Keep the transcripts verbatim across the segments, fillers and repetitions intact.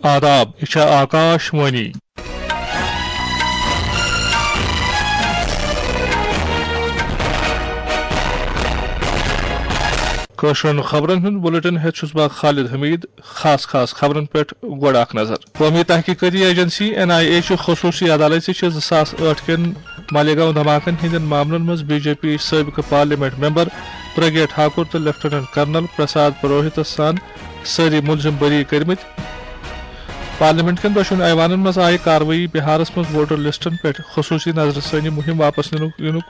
آداب، یہِ چھےٚ آکاش وانی۔ کٲشرٮ۪ن خبرن ہُنٛد بلیٹن ہٮ۪تھ چھُس بہٕ خالد حمید۔ خاص خاص خبرن پٮ۪ٹھ گۄڈٕ اکھ نظر۔ قومی تحقیقاتی ایجنسی این آئی اے چھِ خصوٗصی عدالتہِ چھِ زٕ ساس ٲٹھ کٮ۪ن مالیگاؤں دھماکن ہٕنٛدٮ۪ن معاملن منٛز بی جے پی سٲبقہٕ پارلیمنٹ ممبر پرگیا ٹھاکر تہٕ لیفٹیننٹ کرنل پرساد پروہتس سان سٲری مُلزِم بری کٔرمٕتۍ۔ پارلیمنٹ کٮ۪ن دۄشوٕنی ایوانن منٛز آیہِ کاروٲیی بہارس منٛز ووٹر لسٹن پٮ۪ٹھ خصوٗصی نظرِ ثٲنی مُہِم واپس نِنُک، نِنُک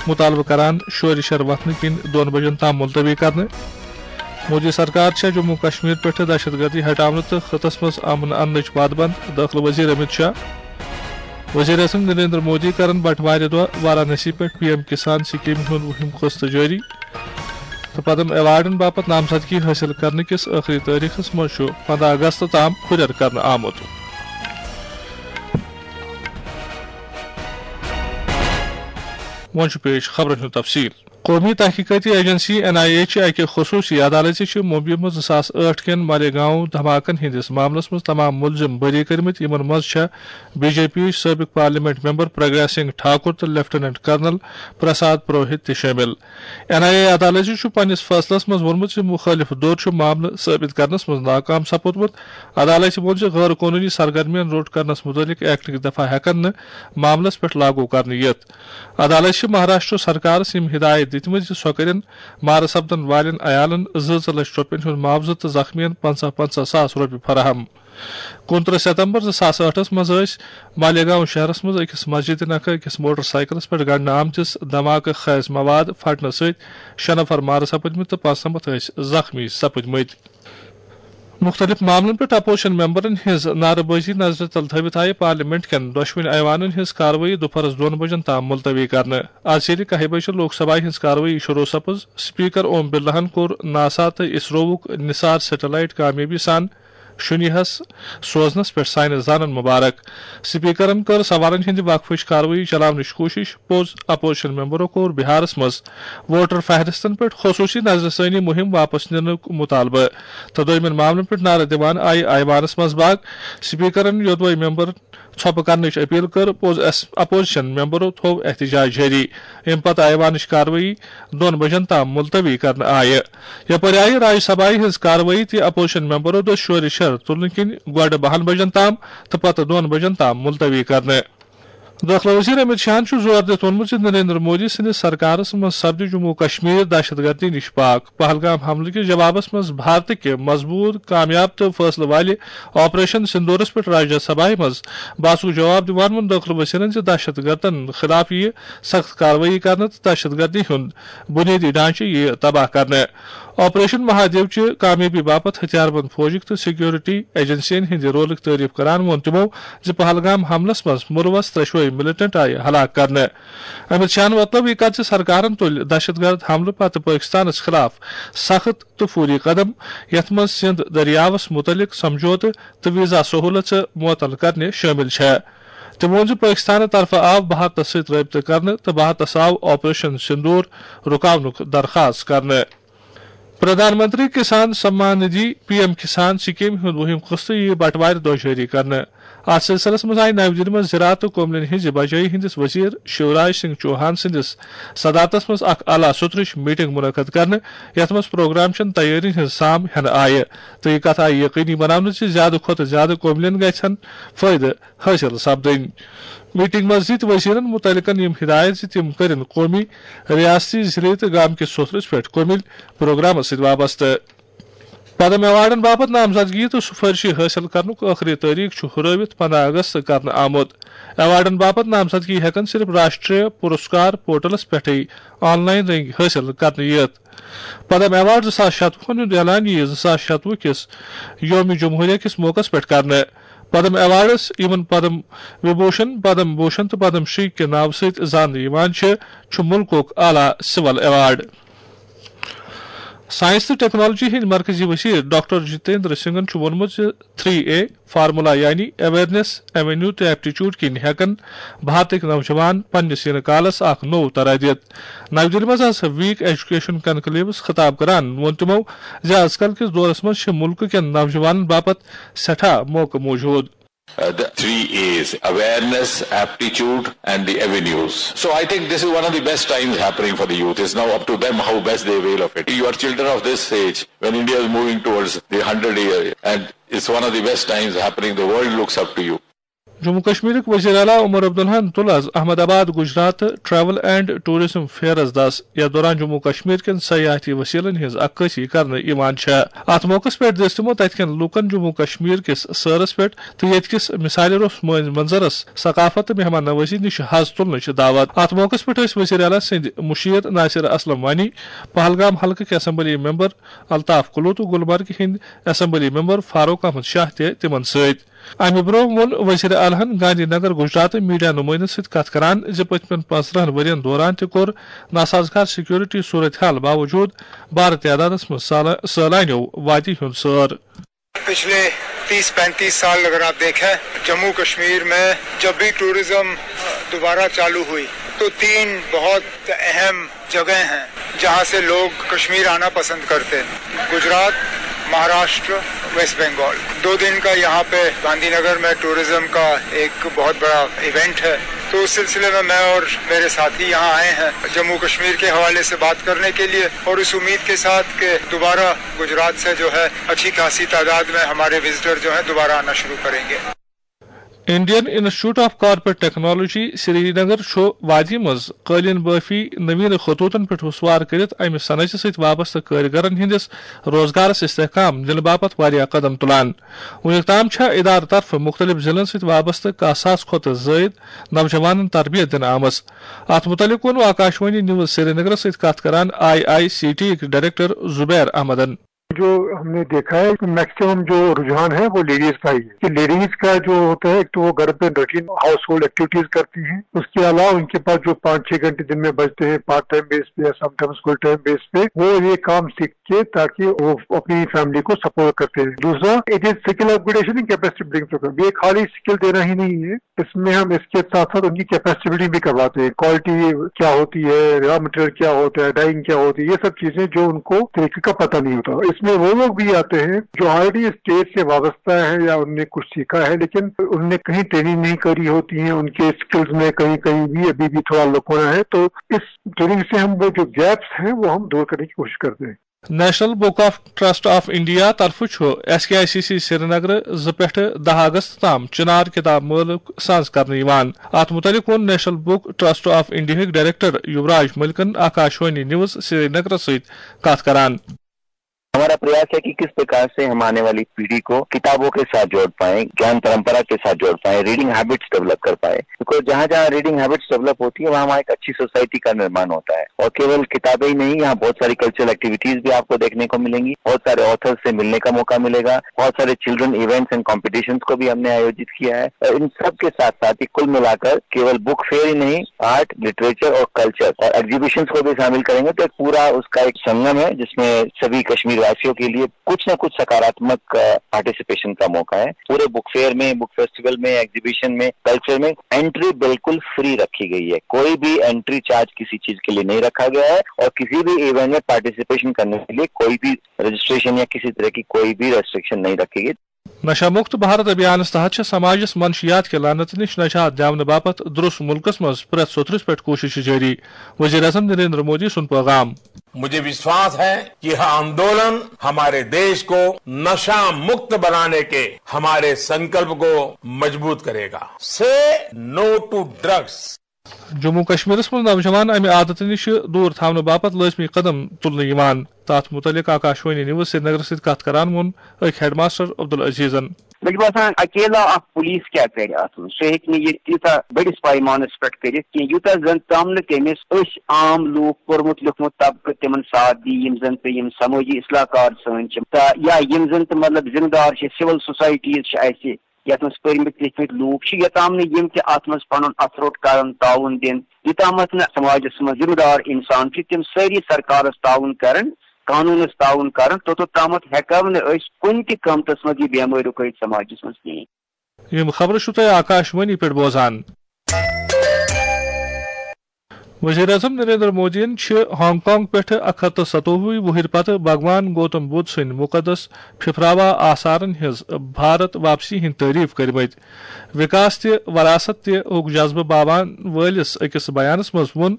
مُطالبہٕ کران شورِ شر وۄتھنہٕ کِنۍ دۄن بجن تام ملتوی کرنہٕ۔ مودی سرکار چھےٚ جموں کشمیر پٮ۪ٹھٕ دہشت گردی ہٹاونہٕ تہٕ خطس منٛز امن اننٕچ وعدٕ بنٛد، دٲخلہٕ وزیر امیت شاہ۔ وزیر اعظم نریندر مودی کرن بٹوارِ دۄہ وارانسی پٮ۪ٹھ پی ایم کسان سکیمہِ ہُنٛد وُہِم قسط جٲری۔ تہٕ پدم ایوارڈن باپتھ نامزدگی حٲصِل کرنہٕ کِس ٲخری تٲریخس منٛز چھُ پنٛداہ اگست تام ہُرٮ۪ر کرنہٕ آمُت۔ وۄنۍ چھُ پیش خبرن ہُنٛد تفصیل۔ قومی تحقیقاتی ایجنسی این آئی اے چہِ اکہِ خصوٗصی عدالتہِ چھِ ممبیہِ منٛز زٕ ساس ٲٹھ کٮ۪ن مالیگاؤں دھماکن ہٕنٛدِس معاملس منٛز تمام مُلزِم بری کٔرمٕتۍ، یِمن منٛز چھےٚ بی جے پی یٕچ سٲبقہٕ پارلیمنٹ ممبر پرگیا سنگھ ٹھاکر تہٕ لیفٹیننٹ کرنل پرساد پروہت تہِ شٲمِل۔ این آئی اے عدالتہِ چھُ پننِس فٲصلس منٛز ووٚنمُت زِ مُخٲلِف دھوٚر چھُ معاملہٕ ثٲبت کرنس منٛز ناکام سپُدمُت۔ عدالتہِ ووٚن زِ غٲر قونوٗنی سرگرمین روٚٹ کرنس مُتعلق ایکٹٕکۍ دفعہ ہٮ۪کن نہٕ معاملس پٮ۪ٹھ لاگو کرنہٕ یِتھ۔ عدالتہِ چھِ مہاراشٹر سرکارس یِم ہدایت دِتمٕتۍ زِ سۄ کٔرِن مارٕ سپدن والٮ۪ن عیالن زٕ زٕ لچھ رۄپین ہُنٛد معاوضہٕ تہٕ زخمیَن پنٛژاہ پنٛژاہ ساس رۄپیہِ فراہم۔ کُنترٕہ ستمبر زٕ ساس ٲٹھس منٛز ٲسۍ مالیگاؤں شہرس منٛز أکِس مسجد نکھٕ أکِس موٹر سائیکلس پٮ۪ٹھ گنڈنہٕ آمتِس دھماکہٕ خیز مواد پھٹنہٕ سۭتۍ شےٚ نفر مارٕ سپٕدمٕتۍ تہٕ پانٛژنمتھ ٲسۍ زخمی سپٕدمٕتۍ۔ مُختٔلِف معاملن پٮ۪ٹھ اپوزیشن ممبرن ہٕنٛز نعرٕ بٲزی نظرِ تل تھٲوِتھ آیہِ پارلیمنٹ کٮ۪ن دۄشوٕنی ایوانن ہٕنٛز کاروٲیی دُپہرس دۄن بجن تام ملتوی کرنہٕ۔ از ژیٖرِ کاہہِ بجہِ چھِ لوک سبھایہ ہٕنٛز کاروٲیی شروع سپٕز۔ سپیکر اوم برلاہن کوٚر ناسا تہٕ اسرووُک نثار سیٹلائٹ کامیٲبی سان شُنیہس سوزنس پٮ۪ٹھ ساینس دانن مبارک۔ سپیکرن کٔر سوالن ہٕنٛدِ وقفٕچ کاروٲیی چلاونٕچ کوٗشش۔ پوٚز، اپوزیشن ممبرو کوٚر بہارس منٛز ووٹر فہرستن پٮ۪ٹھ خصوٗصی نظرِ ثٲنی مُہِم واپس نِنُک مُطالبہٕ تہٕ دوٚیمٮ۪ن معاملن پٮ۪ٹھ نعرٕ دِوان آیہِ ایوانس منٛز باگ۔ سپیکرن یوٚدوے ممبر ژھۄپہٕ کرنٕچ اپیل کٔر، پوٚز اَس-، اپوزیشن ممبرو تھوٚو احتجاج جٲری۔ اَمہِ پتہٕ ایوانٕچ کاروٲیی دۄن بجن تام ملتوی کرنہٕ آیہِ۔ یپٲرۍ آیہِ راجیہ سبھایہ ہٕنٛز کاروٲیی تہِ اپوزیشن ممبرو دٔسۍ شورِ شر تُلنہٕ کِنۍ گۄڈٕ بہن بجن تام تہٕ پتہٕ دۄن بجن تام ملتوی کرنہٕ۔ دٲخلہٕ وزیر امت شاہن چھُ زور دِتھ ووٚنمُت زِ نریندر مودی سٕنٛدِس سرکارس منٛز سپدِ جموں و کشمیر دہشت گردی نِش پاک۔ پہلگام حملہٕ کِس جوابس منٛز بھارتہٕ کہِ مضبوٗط، کامیاب تہٕ فٲصلہٕ والہِ آپریشن سندورس پٮ۪ٹھ راجیہ سبھایہ منٛز بحثُک جواب دِوان ووٚن دٲخلہٕ وزیرن زِ دہشت گردن خلاف یِیہِ سخت کاروٲیی کرنہٕ تہٕ دہشت گردی ہُنٛد بُنیٲدی ڈھانچہٕ یِیہِ تباہ کرنہٕ۔ آپریشن مہادیو چہِ کامیٲبی باپتھ ہتھیار بند فوجٕکۍ تہٕ سیکورٹی ایجنسین ہٕنٛدِ رولٕچ تعریف کران ووٚن تِمو زِ پہلگام حملس منٛز مُلوث ترٛشوے ملٹنٹ آیہِ ہلاک کرنہٕ۔ امت شاہن ووٚتلٲو یہِ کتھ زِ سرکارن تُلۍ دہشت گرد حملہٕ پتہٕ پٲکستانس خلاف سخت تہٕ فوری قدم، یتھ منٛز سندھ دٔریاوس مُتعلق سمجھوتہٕ تہٕ ویزا سہولژٕ معطل کرنہِ شٲمِل چھےٚ۔ تٔمۍ ووٚن زِ پٲکستانہٕ طرفہٕ آو بھارتس سۭتۍ رٲبطہٕ کرنہٕ تہٕ بھارتس آو آپریشن سندور رُکاونُک درخاست کرنہٕ۔ پردھان منتری کسان سمان ندھی، پی ایم کسان سکیمہِ ہُنٛد وُہِم قسط یِیہِ بٹوارِ دۄہ جٲری کرنہٕ۔ اتھ سلسلس منٛز آیہِ نَوِ دِلہِ منٛز زراعت تہٕ کوملین ہٕنٛزِ بجٲیی ہٕنٛدِس وزیر شیوراج سنگھ چوہان سٕنٛدِس صدارتس منٛز اکھ اعلیٰ سطرٕچ میٹنگ منعقد کرنہٕ، یتھ منٛز پروگرام چٮ۪ن تیٲرین ہٕنٛز سام ہٮ۪نہٕ آیہِ تہٕ یہِ کتھ آیہِ یقینی بناونہٕ زِ زیادٕ کھۄتہٕ زیادٕ کوملین گژھن فٲیدٕ حٲصِل سپدٕنۍ۔ میٹنگ منٛز دِتۍ وزیرن مُتعلقن یِم ہدایت زِ تِم کٔرِن قومی، ریاستی، ضلعی تہٕ گامکِس سطرس پٮ۪ٹھ کومِل پروگرامس سۭتۍ وابستہٕ۔ پدم ایوارڈن باپتھ نامزدگی تہٕ سفارشی حٲصِل کرنُک ٲخری تٲریخ چھُ ہُرٲوِتھ پنٛداہ اگست کرنہٕ آمُت۔ ایوارڈن باپتھ نامزدگی ہٮ۪کن صرف راشٹریہ پُرسکار پورٹلس پٮ۪ٹھٕے آن لائن رنگۍ حٲصِل کرنہٕ یِتھ۔ پدم ایوارڈ زٕ ساس شتوُہن ہُنٛد اعلان یِیہِ زٕ ساس شتوُہ کِس یوم جمہوریہ کِس موقعس پٮ۪ٹھ کرنہٕ۔ پدم ایوارڈس، یِمن پدم وبھوشن، پدم بھوشن تہٕ پدم شری کہِ ناوٕ سۭتۍ زاننہٕ یِوان چھِ، چھُ مُلکُک اعلیٰ سول ایوارڈ۔ سائنس تہٕ ٹیکنالوجی ہٕنٛدۍ مرکزی وزیر ڈاکٹر جتیندر سنگھن چھُ ووٚنمُت زِ تھری اے فارمولا یعنی اویئرنیس، ایونیو تہٕ ایپٹیچیوڈ کِنۍ ہٮ۪کن بھارتٕکۍ نوجوان پننِس یِنہٕ کالس اکھ نوٚو طرح دِتھ۔ نَوِ دِلہِ منٛز آز ویک ایجوکیشن کنکلیوس خطاب کران ووٚن تِمو زِ از کل کِس دورس منٛز چھِ مُلکہٕ کٮ۪ن نوجوانن باپتھ سٮ۪ٹھاہ موقعہٕ موجود۔ Uh, the three A's: awareness, aptitude, and the avenues. So I think this is one of the best times happening for the youth. It's now up to them how best they avail of it. You are children of this age when India is moving towards the hundred year, and it's one of the best times happening. The world looks up to you. Jammu کشمیرٕکۍ وزیر اعلیٰ عمر عبداللہن تُل آز احمد آباد Gujarat travel and tourism fairs دس، یتھ دوران جموں کشمیر کٮ۪ن سیاحتی وسیلن ہٕنٛز عکٲسی کرنہٕ یِوان چھےٚ۔ اتھ موقعس پٮ۪ٹھ دِژ تِمو تتہِ کٮ۪ن لوٗکن جموں کشمیر کِس سٲرس پٮ۪ٹھ تہٕ ییٚتہِ کِس مثالہِ روٚس مٲنۍ منظرس، ثقافت تہٕ مہمان نوازی نِش حظ تُلنٕچ دعوت۔ اتھ موقعس پٮ۪ٹھ ٲسۍ وزیر اعلیٰ سٕنٛدۍ مُشیر ناصر اسلم وانی، پہلگام حلقہٕ کہِ اسمبلی ممبر الطاف کلو تہٕ گلمرگہِ ہٕنٛدۍ اسمبلی ممبر فاروق احمد شاہ تہِ تِمن سۭتۍ۔ امہِ برونٛہہ ووٚن وزیر اعلیٰ ہن گاندھی نگر گجرات میڈیا نمائندن سۭتۍ کتھ کران زِ پٔتمٮ۪ن پانٛژترٕٛہن ؤرین دوران تہِ کوٚر ناسازگار سیکورٹی صورتحال باوجود بارٕ تعدادس منٛز سالہ-، سٲلانیو وادی ہُنٛد سٲر۔ پچھلے تیس پینتیس سال اگر آپ دیکھیں، جموں کشمیر میں جب بھی ٹورزم دوبارہ چالو ہوئی تو تین بہت اہم جگہیں ہیں جہاں سے لوگ کشمیر آنا پسند کرتے ہیں: گجرات، مہاراشٹر، ویسٹ بنگال۔ دو دن کا یہاں پہ گاندھی نگر میں ٹورزم کا ایک بہت بڑا ایونٹ ہے، تو اس سلسلے میں میں اور میرے ساتھی یہاں آئے ہیں جموں کشمیر کے حوالے سے بات کرنے کے لیے، اور اس امید کے ساتھ کہ دوبارہ گجرات سے جو ہے اچھی خاصی تعداد میں ہمارے وزٹر جو ہیں دوبارہ آنا شروع کریں گے۔ Indian institute of corporate technology Srinagar چھُ وادی منٛز قٲلیٖن بٲفی نوین خطوطن پٮ۪ٹھ وسوار کٔرِتھ امہِ صنعتہِ سۭتۍ وابستہٕ کٲرِگرن ہٕنٛدِس روزگارس استحکام دِنہٕ باپتھ واریاہ قدم تُلان۔ وُنیُک تام چھےٚ ادارٕ طرفہٕ مُختٔلِف ضلعن سۭتۍ وابستہٕ کاہ ساس کھۄتہٕ زٲیِد نوجوانن تربیت دِنہٕ آمٕژ۔ اتھ مُتعلق ووٚن آکاشوانی نیوز سرینگرس سۭتۍ کتھ کران آئی آئی سی ٹی یِکۍ ڈائریکٹر زبیر احمدن۔ جو ہم نے دیکھا ہے کہ میکسیمم جو رجحان ہے وہ لیڈیز کا ہی ہے کہ لیڈیز کا جو ہوتا ہے، ایک تو وہ گھر پہ روٹین ہاؤس ہولڈ ایکٹیویٹیز کرتی ہیں، اس کے علاوہ ان کے پاس جو پانچ چھ گھنٹے دن میں بچتے ہیں پارٹ ٹائم بیس پہ یا سم ٹائمز فل ٹائم بیس پہ، وہ یہ کام سیکھ کے تاکہ وہ اپنی فیملی کو سپورٹ کرتے ہیں۔ دوسرا، it is skill upgradation and capacity building programme. یہ خالی سکل دینا ہی نہیں ہے، اس میں ہم اس کے ساتھ ساتھ ان کی کیپیسٹی بلڈنگ بھی کرواتے ہیں، کوالٹی کیا ہوتی ہے، را مٹیریل کیا ہوتا ہے، ڈائنگ کیا ہوتی ہے، یہ سب چیزیں جو ان کو طریقے کا پتہ نہیں ہوتا۔ اس میں وہ لوگ بھی آتے ہیں جو آلریڈی اس ٹریڈ سے وابستہ ہیں یا ان نے کچھ سیکھا ہے لیکن ان نے کہیں ٹریننگ نہیں کری ہوتی ہے، ان کے اسکلز میں کہیں کہیں بھی ابھی بھی تھوڑا لکونا ہے، تو اس ٹریننگ سے ہم وہ جو گیپس ہیں وہ ہم دور کرنے کی کوشش کرتے ہیں۔ National Book of Trust of India طرفہٕ چھُ S K I C C Srinagar زٕ پٮ۪ٹھٕ دَہ اگست تام چنار کتاب مٲلہٕ ساز کرنہٕ یِوان۔ اتھ مُتعلق ووٚن نیشنل بک ٹرسٹ آف انڈیاہٕکۍ ڈائریکٹر یوراج ملکن آکاشوانی نیوز سرینگرس سۭتۍ کتھ کران۔ ہمارا پریاس ہے کہ کس پرکار سے ہم آنے والی پیڑھی کو کتابوں کے ساتھ جوڑ پائیں، ज्ञान परंपरा के साथ जोड़ पाएं, रीडिंग हैबिट्स डेवलप कर पाए। बिकॉज जहाँ जहाँ रीडिंग हैबिट्स डेवलप होती है, वहाँ वहाँ एक अच्छी सोसाइटी का निर्माण होता है। और केवल किताबें ही नहीं, यहाँ बहुत सारी कल्चरल एक्टिविटीज भी आपको देखने को मिलेंगी, बहुत सारे ऑथर्स से मिलने का मौका मिलेगा, बहुत सारे चिल्ड्रन इवेंट्स एंड कॉम्पिटिशन्स को भी हमने आयोजित किया है। और इन सब के साथ साथ ही कुल मिलाकर केवल बुक फेयर ही नहीं, आर्ट, लिटरेचर और कल्चर और एग्जीबिशंस को भी शामिल करेंगे। तो एक पूरा उसका एक संगम है, जिसमें सभी कश्मीर वासियों के लिए कुछ ना कुछ सकारात्मक पार्टिसिपेशन का मौका है। पूरे बुक फेयर में, बुक फेस्टिवल में, एग्जीबिशन में, कल्चर में एंट्री बिल्कुल फ्री रखी गई है। कोई भी एंट्री चार्ज किसी चीज के लिए नहीं रखा गया है और किसी भी इवेंट में पार्टिसिपेशन करने के लिए कोई भी रजिस्ट्रेशन या किसी तरह की कोई भी रेस्ट्रिक्शन नहीं रखी गई। نشہ مکت بھارت ابھیانس تحت چھِ سماجس منشیات کہِ لعنتہٕ نِش نجات دِنہٕ باپتھ درست مُلکس منٛز پرٛٮ۪تھ سوٚتھرِس پٮ۪ٹھ کوٗشش جٲری۔ وزیر اعظم نریندر مودی سُنٛد پیغام۔ मुझे विश्वास है कि यह आंदोलन हमारे देश को नशा मुक्त बनाने के हमारे संकल्प को मजबूत करेगा। Say no to drugs. Jammu کشمیرس منٛز نوجوان امہِ عادتہٕ نِش دوٗر تھاونہٕ باپتھ لٲزمی قدم تُلنہٕ یِوان۔ تتھ مُتعلق آکاشوانی نیوز سرینگرس سۭتۍ کتھ کران ووٚن أکۍ ہیڈ ماسٹر عبدالعزیزن۔ مےٚ چھُ باسان اکیلا اکھ پولیس کیٛاہ کرِ اتھ منٛز؟ سُہ ہیٚکہِ نہٕ یہِ تیٖژاہ بٔڑِس پیمانس پٮ۪ٹھ کٔرِتھ کینٛہہ، یوٗتاہ زن تام نہٕ تٔمِس أسۍ عام لوٗکھ، پوٚرمُت لیوٚکھمُت طبقہٕ تِمن ساتھ دِیہِ، یِم زن تہٕ یِم سمٲجی اصلاح کار سٲنۍ چھِ، تہٕ یا یِم زن تہٕ مطلب ذمہٕ دار چھِ، سول سوسایٹیٖز چھِ اسہِ، یتھ منٛز پٔرمٕتۍ لیکھمٕتۍ لوٗکھ چھِ، یوٚتام نہٕ یِم تہِ اتھ منٛز پنُن اتھٕ روٚٹ کرن، تعاوُن دِن، یوٚتامتھ نہٕ سماجس منٛز ذمہٕ دار انسان چھِ، تِم سٲری سرکارس تعاوُن کرن، قانوٗنَس تعاوُن کران، توٚتَتھ تامَتھ ہٮ۪کو نہٕ أسۍ کُنہِ تہِ قۭمتَس منٛز یہِ بٮ۪مٲرۍ رُکٲوِتھ سماجَس منٛز کِہیٖنۍ۔ یِم خبرٕ چھِو تۄہہِ آکاشوانی پٮ۪ٹھ بوزان۔ وزیر اعظم نریندر مودیَن چھِ ہانگ کانگ پٮ۪ٹھٕ اکھ ہتھ تہٕ ستووُہ وُہٕرۍ پتہٕ بھگوان گوتم بدھ سٕنٛدۍ مُقدس پھِپھراوا آثارن ہٕنٛز بھارت واپسی ہٕنٛدۍ تعریف کٔرمٕتۍ۔ وکاس تہٕ وراثت تہِ ہُک جذبہٕ باوان وٲلِس أکِس بیانَس منٛز ووٚن،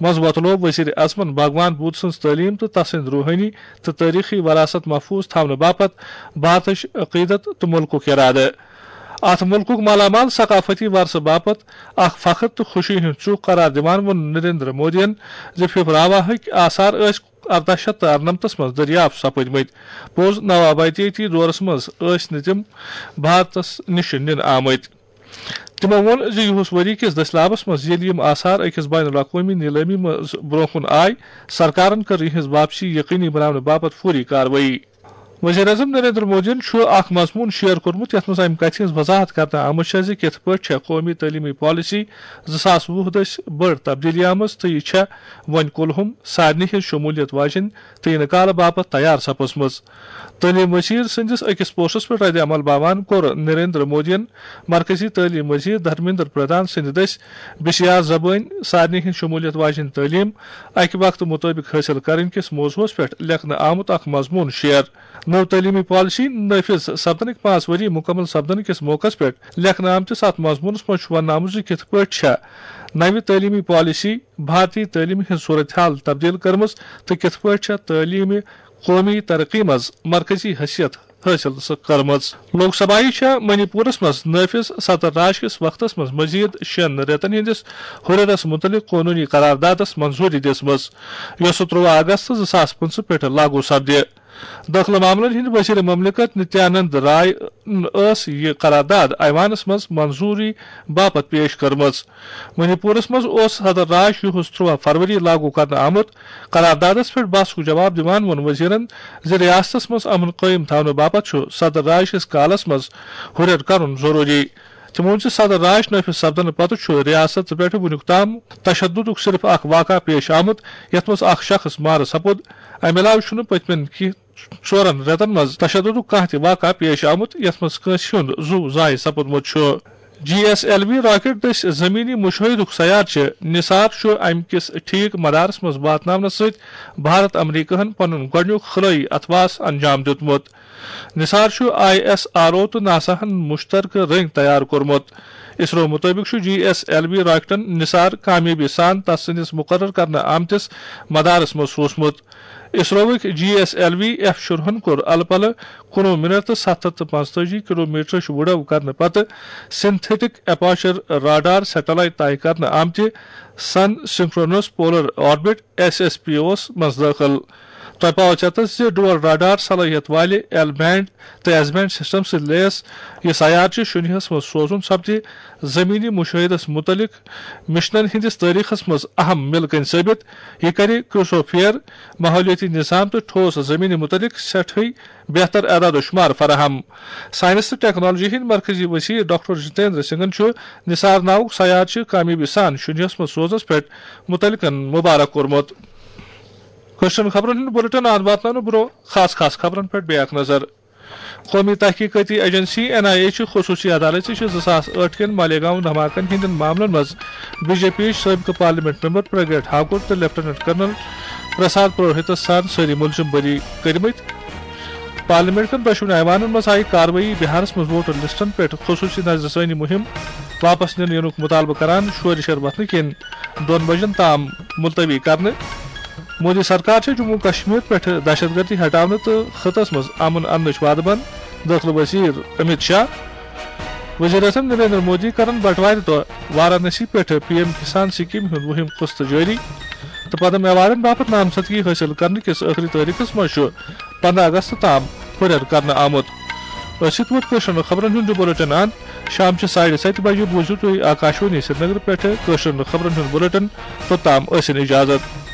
منٛز وۄتلوو وزیر اعظمَن بھگوان بدھ سٕنٛز تعلیٖم تہٕ تسٕنٛدۍ روحٲنی تہٕ تٲریخی وراثت محفوظ تھاونہٕ باپتھ بھارتٕچ عقیدت تہٕ مُلکُک اِرادٕ۔ اتھ مُلکُک مالامال ثقافتی ورثہٕ باپتھ اکھ فخر تہٕ خوشی ہُنٛد ژُکھ قرار دِوان ووٚن نریندر مودیَن زِ پھِپھراواہٕکۍ آثار ٲسۍ ارداہ شیٚتھ تہٕ ارنمتس منٛز دٔریافت سپٕدمٕتۍ۔ پوٚز نوآبادیٲتی دورس منٛز ٲسۍ نہٕ تِم بھارتس نِش نِنہٕ آمٕتۍ۔ تِمو ووٚن زِ یِہُس ؤری کِس دٔسلابس منٛز ییٚلہِ یِم آثار أکِس بین الاقوٲمی نیلٲمی منٛز برٛونٛہہ کُن آے، سرکارن کٔر یِہٕنٛز واپسی یقینی بناونہٕ باپتھ فوری کاروٲیی۔ وزیر اعظم نریندر مودیَن چھُ اکھ مضموٗن شیئر کوٚرمُت، یَتھ منٛز اَمہِ کَتھِ ہٕنٛز وضاحت کرنہٕ آمٕژ چھےٚ زِ کِتھ پٲٹھۍ چھےٚ قومی تعلیمی پالیسی زٕ ساس وُہ دٔسۍ بٔڑ تبدیٖلی آمٕژ تہٕ یہِ چھےٚ وۄنۍ کُلہُم سارنٕے ہٕنٛز شموٗلیت واجیٚنۍ تہٕ یِنہٕ کالہٕ باپتھ تیار سپٕزمٕژ۔ تعلیٖم وزیر سٕنٛدِس أکِس پوسٹس پٮ۪ٹھ رد عمل باوان کوٚر نریندر مودیَن مرکزی تعلیٖم وزیر دھرمیندر پردھان سٕنٛدِ دٔسۍ بشیار زبٲنۍ سارنٕے ہٕنٛز شموٗلیت واجیٚنۍ تعلیٖم اکہِ وقتہٕ مُطٲبِق حٲصِل کرٕنۍ کِس موضوعس پٮ۪ٹھ لیکھنہٕ آمُت اکھ مضموٗن شیئر۔ نٔو تعلیمی پالیسی نافذ سپدنٕکۍ پانٛژھ ؤری مکمل سپدنہٕ کِس موقعس پٮ۪ٹھ لیکھنہٕ آمتِس اتھ مضموٗنس منٛز چھُ وننہٕ آمُت زِ کِتھ پٲٹھۍ چھےٚ نوِ تعلیمی پالیسی بھارتی تعلیمہِ ہٕنٛز صورتحال تبدیل کٔرمٕژ تہٕ کِتھ پٲٹھۍ چھےٚ تعلیمہِ قومی ترقی منٛز مرکزی حیثیت حٲصِل کٔرمٕژ۔ لوک سبھایہِ چھےٚ منی پورس منٛز نافذ صدر راج کِس وقتس منٛز مزید شٮ۪ن رٮ۪تن ہٕنٛدِس ہُرٮ۪رس مُتعلق قونوٗنی قراردادس منظوٗری دِژمٕژ، یۄسہٕ ترٛوواہ اگست زٕ ساس پٕنٛژٕہ پٮ۪ٹھ لاگو سپدِ۔ دٲخلہٕ معاملن ہٕنٛدۍ وزیر مملکت نتیانند رائے ٲس یہِ قرارداد ایوانس منٛز منظوٗری باپتھ پیش کٔرمٕژ۔ منی پورس منٛز اوس صدر راج یُہُس ترٛوواہ فروری لاگو کرنہٕ آمُت۔ قراردادس پٮ۪ٹھ بحثُک جواب دِوان ووٚن وزیرن زِ ریاستس منٛز امن قٲیِم تھاونہٕ باپتھ چھُ صدر راج کِس کالس منٛز ہُرٮ۪ر کرُن ضروٗری۔ تِمو ووٚن زِ صدر راج نافذ سپدنہٕ پتہٕ چھُ ریاست پٮ۪ٹھ وُنیُک تام تشددُک صرف اکھ واقعہ پیش آمُت، یتھ منٛز اکھ شخص مارٕ سپُد۔ امہِ علاوٕ چھُنہٕ پٔتمٮ۪ن کینٛہہ ژورن رٮ۪تن منٛز تشددُک کانٛہہ تہِ واقعہ پیش آمُت، یتھ منٛز کٲنٛسہِ ہُنٛد زُو ضایع سپُدمُت چھُ۔ جی ایس ایل وی راکٹ دٔسۍ زمینی مُشٲہدُک سیارچہِ نثار چھُ امہِ کِس ٹھیک مدارس منٛز واتناونس سۭتۍ بھارت امریکہن پنُن گۄڈٕنیُک خلٲیی اتھواس انجام دیُتمُت۔ نثار چھُ آئی ایس آر او تہٕ ناساہن مشترکہٕ رٔنگۍ تیار کوٚرمُت۔ اسرو مُطٲبِق چھُ جی ایس ایل وی راکٹن نثار کامیٲبی سان تس سٕنٛدِس مُقرر کرنہٕ آمتِس مدارس منٛز سوٗزمُت۔ اسروٕکۍ جی ایس ایل وی ایف شُرہن کوٚر الہٕ پلہٕ کُنوُہ منٹ تہٕ ستھ ہتھ تہٕ پانٛژتٲجی کلومیٹرٕچ وُڈو کرنہٕ پتہٕ سنتھیٹک اپرچر راڈار سیٹلائٹ طے کرنہٕ آمتہِ sun synchronous polar orbit, S S P اوس، منٛز دٲخل۔ تۄہہِ پاوو ژیتس زِ ڈوئل راڈار صلٲحیت والہِ ایل بینڈ تہٕ ایس بینڈ سسٹم سۭتۍ لیس یہِ سیارچہِ شُنیہس منٛز سوزُن سپدِ زمینی مشاہدس متعلق مشنن ہٕنٛدِس تٲریخس منٛز اہم مِلکٔنۍ ثٲبت۔ یہِ کرِ کرٛوسوفیئر، ماحولیٲتی نظام تہٕ ٹھوس زمینہِ متعلق سٮ۪ٹھٕے بہتر اعداد و شمار فراہم۔ سائنس تہٕ ٹیکنالوجی ہٕنٛدۍ مرکزی وزیر ڈاکٹر جتیندر سنگھن چھُ نثار ناوُک سیارچہِ کامیٲبی سان شُنیہس منٛز سوزنس پٮ۪ٹھ متعلقن مبارک کوٚرمُت۔ کٲشرٮ۪ن خبرن ہُنٛد بلیٹن آز واتناونہٕ برٛونٛہہ خاص خاص خبرن پٮ۪ٹھ بیاکھ نظر۔ قومی تحقیقاتی ایجنسی این آئی اے چھِ خصوٗصی عدالتہِ چھِ زٕ ساس ٲٹھ کٮ۪ن مالیگاؤں دھماکن ہٕنٛدٮ۪ن معاملن منٛز بی جے پی یِچ سٲبقہٕ پارلیمنٹ ممبر پرگیٹ ٹھاکر تہٕ لیفٹیننٹ کرنل پرساد پروہتس سان سٲری ملزم بری کٔرمٕتۍ۔ پارلیمنٹ کٮ۪ن دۄشوٕنی ایوانن منٛز آیہِ کاروٲیی، بہارس منٛز ووٹر لسٹن پٮ۪ٹھ خصوٗصی نظرِ ثٲنی مُہِم واپس نِنہٕ یِنُک مُطالبہٕ کران شورِ شر وۄتھنہٕ کِنۍ دۄن بجن تام ملتوی کرنہٕ۔ مودی سرکار چھےٚ جموں کشمیر پٮ۪ٹھ دہشت گردی ہٹاونہٕ تہٕ خطس منٛز امن اننٕچ وعدٕ بنٛد، دٲخلہٕ وزیر امت شاہ۔ وزیر اعظم نریندر مودی کرن بٹوارِ دۄہ وارانسی پٮ۪ٹھ پی ایم کسان سکیمہِ ہُنٛد وُہِم قسط جٲری تہٕ پدم ایوارڈن باپتھ نامزدگی حٲصِل کرنہٕ کِس ٲخری تٲریخس منٛز چھُ پنٛداہ اگست تام ہُرٮ۪ر کرنہٕ آمُت۔ أتھۍ سۭتۍ ووت کٲشرٮ۪ن خبرن ہُنٛد یہِ بلیٹن اند۔ شام چہِ ساڑِ ستہِ بجہِ بوٗزِو تُہۍ آکاشوانی سرینگر پٮ۪ٹھ کٲشرٮ۪ن خبرن ہُنٛد بلیٹن۔ توٚتام ٲسِن اجازت۔